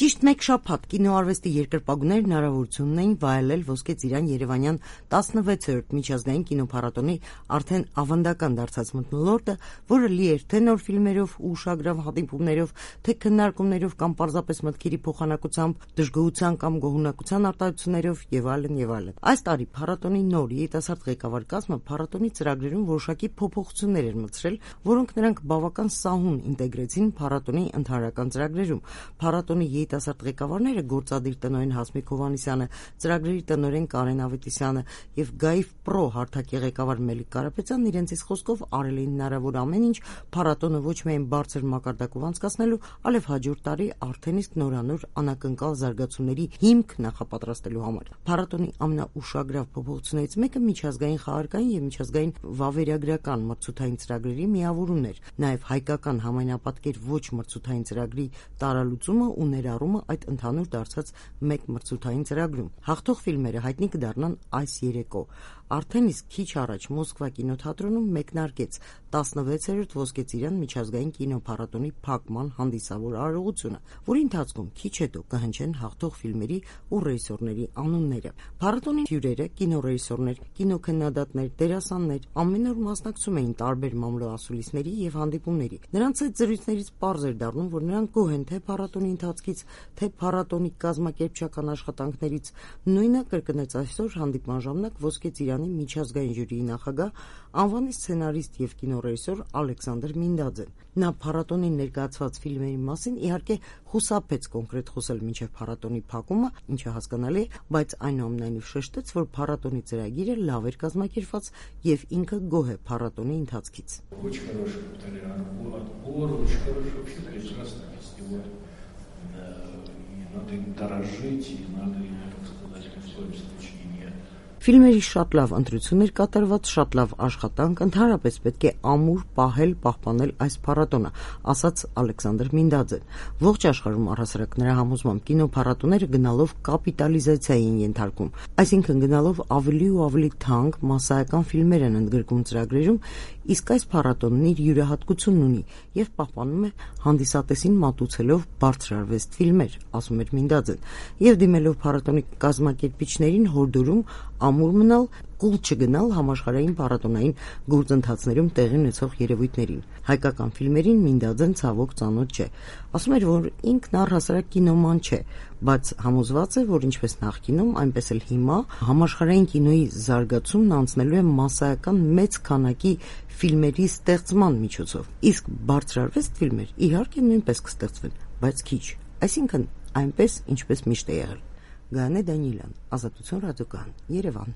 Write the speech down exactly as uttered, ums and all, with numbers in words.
Ճիշտ մեկ շաբաթ կինոարվեստի երկրպագուներ հնարավորություն ունեին վայելել Ոսկե ծիրան Երևանյան տասնվեցերորդ միջազգային կինոփառատոնի արդեն ավանդական դարձած մթնոլորտը, որը լի էր թե նոր ֆիլմերով ու ուշագրավ հանդիպումներով, թե քննարկումներով կամ պարզապես մտքերի փոխանակությամբ, դժգոհության կամ գոհունակության արտահայտություններով եւ այլն եւ այլն։ Այս տարի փառատոնի նոր երիտասարդ ղեկավար կազմը փառատոնի ծրագրերում որոշակի փոփոխություններ էր մտցրել, որոնք նրանք բավական սահուն ինտեգրեցին փառատոնի ընդհանրական ծրագրերում։ Փառատոնի երիտասարդ ղեկավարները գործադիր տնօրեն Հասմիկ Հովհաննիսյանը, ծրագրերի տնօրեն Կարեն Ավետիսյանը եւ Գաիվ Պրո հարթակի ղեկավար Մելիք Կարապետյանն իրենցից խոսքով արել էին հնարավոր ամեն ինչ փառատոնը ոչ միայն բարձր մակարդակով անցկացնելու, այլև հաջորդ տարի արդեն իսկ նորանոր անակնկալ զարգացումների հիմք նախապատրաստելու համար։ Փառատոնի ամենաուշագրավ փոփոխություններից մեկը միջազգային խաղարկային եւ միջազգային վավերագրական մրցութային ծրագրերի միավորումն էր, նաեւ հայկական համայնապատկեր ոչ մրցութային ծրագրի տարալուծումը ու ներառումը այդ ընդհանուր դարձած մեկ մրցութային ծրագրում։ Հաղթող ֆիլմերը հայտնի կդառնան այս երեկո։ Արդեն իսկ քիչ առաջ Մոսկվա կինոթատրոնում մեկնարկեց տասնվեցերորդ Ոսկե ծիրան միջազգային կինոփառատոնի փակման հանդիսավոր արարողությունը, որի ընթացքում քիչ հետո կհնչեն հաղթող ֆիլմերի ու ռեժիսորների անունները։ Փառատոնի հյուրերը, կինոռեժիսորներ, կինոքննադատներ, դերասաններ ամեն օր մասնակցում էին տարբեր մամլոասուլիսների եւ հանդիպումների։ Նրանց այդ զրույցներից պարզ էր դառնում, որ նրանք գոհ են թե փառատոնի ընթացքից, թե փառատոնի կազմակերպչական աշխատանքներից։ Նույնը կրկնեց այսօր հանդիպման ժամանակ Ոսկե ծիրանի միջազգային ժյուրիի նախագահ, անվանի սցենարիստ եւ կինոռեժիսոր Ալեքսանդր Մինդաձեն։ Նա փառատոնին ներկայացված ֆիլմերի մասին իհարկե խուսափեց կոնկրետ խոսել մինչև փառատոնի փակումը, ինչը հասկանալի է, բայց այնուամենայնիվ շեշտեց, որ փառատոնի ծրագիրը лав էր кազմակերպված եւ инքը գոհ է փառատոնի ընթացքից։ Очень хороший толерантный отбор, очень хороший вообще прекрасный фестиваль. И надо им дорожить, и надо им, так сказать, в своем случае не... Ֆիլմերի շատ լավ ընտրություն էր կատարված, շատ լավ աշխատանք, ընդհանրապես պետք է ամուր պահել, պահպանել այս փառատոնը, ասաց Ալեքսանդր Մինդաձեն։ Ողջ աշխարհում առհասարակ նրա համոզմամբ կինոփառատոները գնալով կապիտալիզացիայի են ենթարկվում, այսինքն գնալով ավելի ու ավելի թանկ մասսայական ֆիլմեր են ընդգրկում ծրագրերում, իսկ այս փառատոնն իր յուրահատկությունն ունի եւ պահպանում է հանդիսատեսին մատուցելով բարձրարվեստ ֆիլմեր, ասում էր Մինդաձեն, եւ դիմելով փառատոնի կազմակերպիչներին հորդորում ամուր մնալ, կուլ չգնալ համաշխարհային փառատոնային գործընթացներում տեղի ունեցող երևույթներին։ Հայկական ֆիլմերին Մինդաձեն ցավոք ծանոթ չէ։ Ասում էր, որ ինքն առհասարակ կինոման չէ, բայց համոզված է, որ ինչպես նախկինում, այնպես էլ հիմա համաշխարհային կինոյի զարգացումն անցնելու է մասսայական մեծ քանակի ֆիլմերի ստեղծման միջոցով։ Իսկ բարձրարվեստ ֆիլմեր իհարկե նույնպես կստեղծվեն, բայց քիչ։ Այսինքն այնպես, ինչպես միշտ է եղել։ Գայանե Դանիելյան, Ազատություն ռադիոկայան, Երևան։